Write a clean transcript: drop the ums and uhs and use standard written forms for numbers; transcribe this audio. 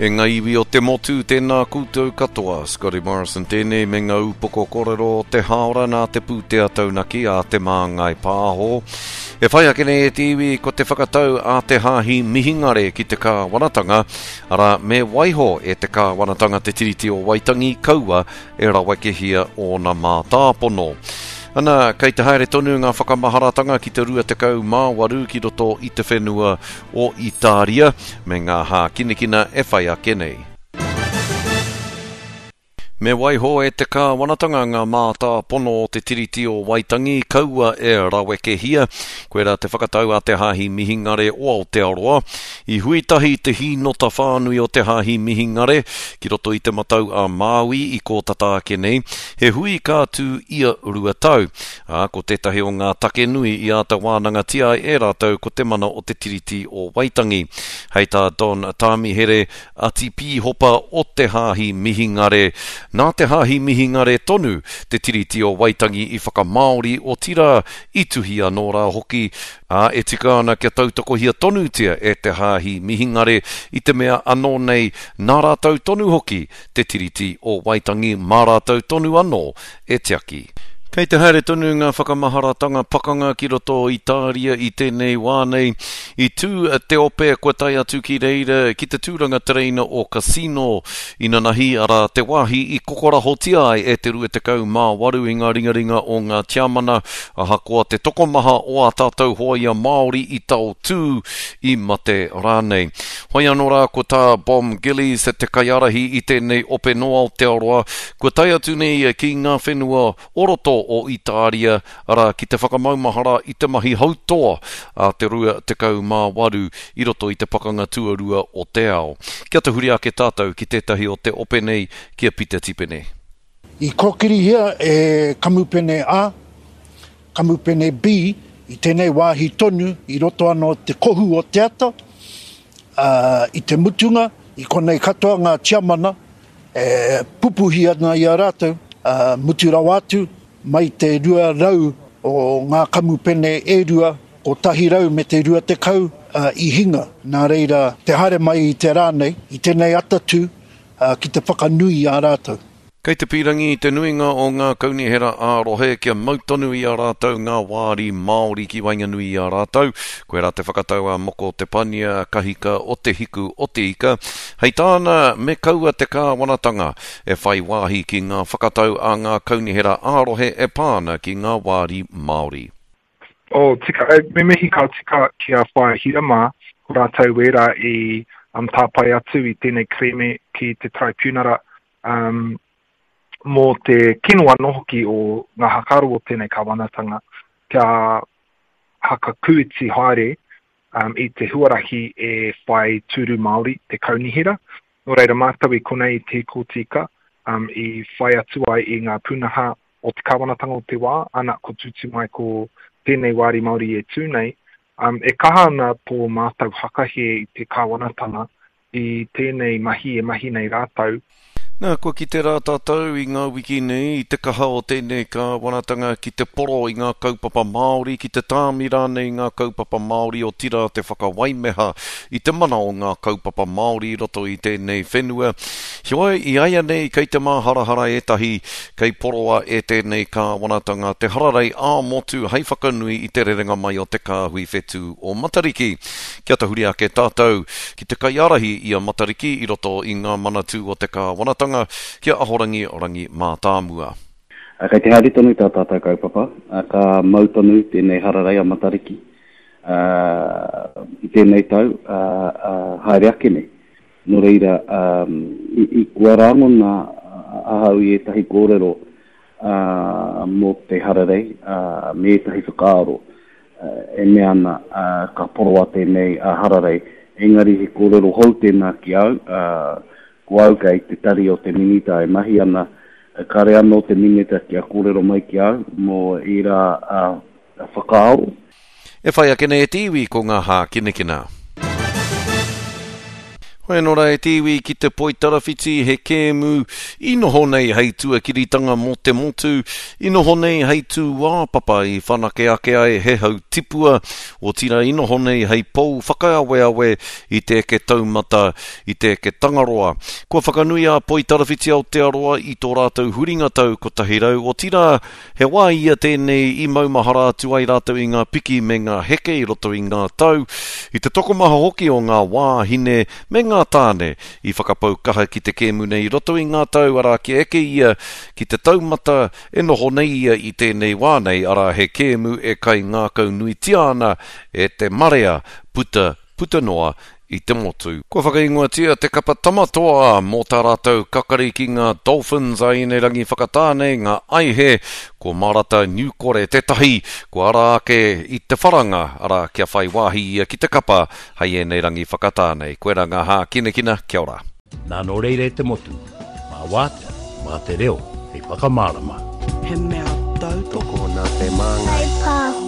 E nga iwi o te motu, tēnā koutou katoa. Scotty Morrison tēnei me ngā upoko korero o te hāora nā te pūtea taunaki a Te Māngai Pāho. E whai ake nei e te iwi ko te whakatau a te Hāhi Mihingare ki te kāwanatanga, arā, me waiho e te kāwanatanga te Tiriti o Waitangi kaua e rawekehia ōna mātāpono. Ana, kei te haere tonu ngā whakamaharatanga ki te 28 ki roto i te whenua o Itāria me ngā hākinakina e whai ake nei. Me waiho e te kāwanatanga ngā mātāpono o te Tiriti o Waitangi, kaua e rawekehia. Koirā te whakatau a te Hāhi Mihingare o Aotearoa. I hui tahi te hīnota whānui o te Hāhi Mihingare ki roto i Te Matau a Māui i kō tata ake nei, he hui ka tū ia 2 tau. Ā, ko tētahi o ngā take nui i āta wānangatia ai e rātou ko te mana o te Tiriti o Waitangi. Hei tā Don Tāmihere, Atipīhopa o te Hāhi Mihingare, nā te Hāhi Mihingare tonu te Tiriti o Waitangi i whakamāori, otirā, i tuhi anō rā hoki, ā, e tika ana kia tautokohia tonutia e te Hāhi Mihingare i te mea anō nei nā rātou tonu hoki te Tiriti o Waitangi mā rātou tonu anō e tiaki. Kei te haere tonu ngā whakamaharatanga pakanga ki roto o Itāria i tēnei wā nei. I tū te ope kua tae atu ki reira ki te tūranga tereina o Cassino inanahi, arā, te wāhi i kokorahotia ai e te 28 i ngā ringaringa o ngā Tiamana, ahakoa te tokomaha o ā tātou hōia Māori i taotū, i mate rānei. Hoi anō rā ko tā Bom Gillies, te kaiārahi i tēnei ope nō Aotearoa, kua tae atu nei ia ki ngā whenua o roto o Itāria, arā, ki te whakamaumahara i te mahi hautoa a te 28 i roto i te Pakanga Tuarua o te Ao. Kia tahuri ake tātou ki tētahi o te ope nei, ki a Pita Tipene. I kōkirihia e Kamupene A, Kamupene B i tēnei wāhi tonu i roto anō te kohu o te ata, ā, i te mutunga, i konei katoa ngā tiamana e pupuhi ana i a rātou, ā, mutu rawa atu, mai te 200 o ngā kamupene e rua, 100 me te 20, ā, i hinga. Nā reira, te haere mai i te rā nei, i tēnei atatū, ā, ki te whakanui i a rātou. Kei te pīrangi te nuinga o ngā kaunihera ā-rohe kia mau tonu i a rātou ngā wāri Māori ki waenganui i a rātou. Koirā te whakatau a Moko Te Pania, kahika o Te Hiku o Te Ika. Hei tāna, me kaua te kāwanatanga e whai wāhi ki ngā whakatau a ngā kaunihera ā-rohe e pā ana ki ngā wāri Māori. Oh, tika, me mihi ka tika ki a Whaea Hira mā, ko rātou wērā i um, tāpae atu i tēnei kerēme ki te Taraipiunara um, mō te kino anō hoki o ngā hakaro o tēnei kāwanatanga kia hakakūiti haere um, i te huarahi e whai tūru Māori te kaunihera. Nō reira mātou i konei i Te Hiko-o-Te-Ika um, i whai atu ai i ngā pūnaha o te kāwanatanga o te wā, ana ko tūtū mai ko tēnei wāri Māori e tū nei, um, e kaha ana tō mātou hakahē i te kāwanatanga i tēnei mahi e mahi nei rātou. Nā, kua kite rā tātou i ngā wiki nei i te kaha o tēnei kāwanatanga ki te poro i ngā kaupapa Māori, ki te tāmi rānei i ngā kaupapa Māori, otirā te whakawaimeha i te mana o ngā kaupapa Māori i roto i tēnei whenua. Heoi, i āianei kei te māharahara ētahi kei poroa e tēnei kāwanatanga te hararei ā-motu hei whakanui i te rerenga mai o te kāhui whetū o Matariki. Kia tahuri ake tātou ki te kaiārahi i a Matariki i roto i ngā manatū o te kāwanatanga, ki a Ahorangi Rangi Mātāmua. Kei te haere tonu tā tātou kaupapa, ka mau tonu tēnei hararei a Matariki i tēnei tau, haere ake nei. Nō reira, i kua rangona ahau i ētahi kōrero mō te hararei me ētahi whakaaro e mea ana ka poroa tēnei hararei. Engari he kōrero hou tēnā ki au, ko au kei te tari o te Minita e mahi ana, kāre anō te Minita kia kōrero mai ki au mō ērā whakaaro. E whai ake nei e te iwi ko ngā hākinakina. Hoi anō rā e te iwi ki te poitarawhiti he kēmu i noho nei hei tuakiritanga mō te motu, i noho nei hei tūāpapa i whanake ake ai he hau tipua, otirā i noho nei hei pou whakaaweawe i te eke taumata, i te eke tangaroa. Kua whakanui a Poitarawhiti Aotearoa i tō rātou huringa tau 100, otirā, He wā ia tēnei i maumahara atu ai rātou i ngā piki me ngā heke i roto i ngā tau, i te tokomaha hoki o ngā wāhine me ngā tāne i whakapau kaha ki te kēmu nei i roto i ngā tau, arā, kia eke ia ki te taumata e noho nei ia i tēnei wā nei, arā, he kēmu e kaingākaunuitia ana e te marea puta puta noa i te motu. Kua whakaingoatia te kapa Tamatoa mō tā rātou kakari ki ngā Dolphins a Inerangi Whakatāne, ngā Aihe, ko Marata Niukore tētahi, kua ara ake i te wharanga, arā, kia whai wāhi ia ki te kapa hei ēnei rangi whakatāne. Koirā ngā hākinakina, kia ora. Nā nō reira e te motu, mā wātea, mā te reo hei whakamārama. He mea tautoko. Tokona te māngai. Whai pāho.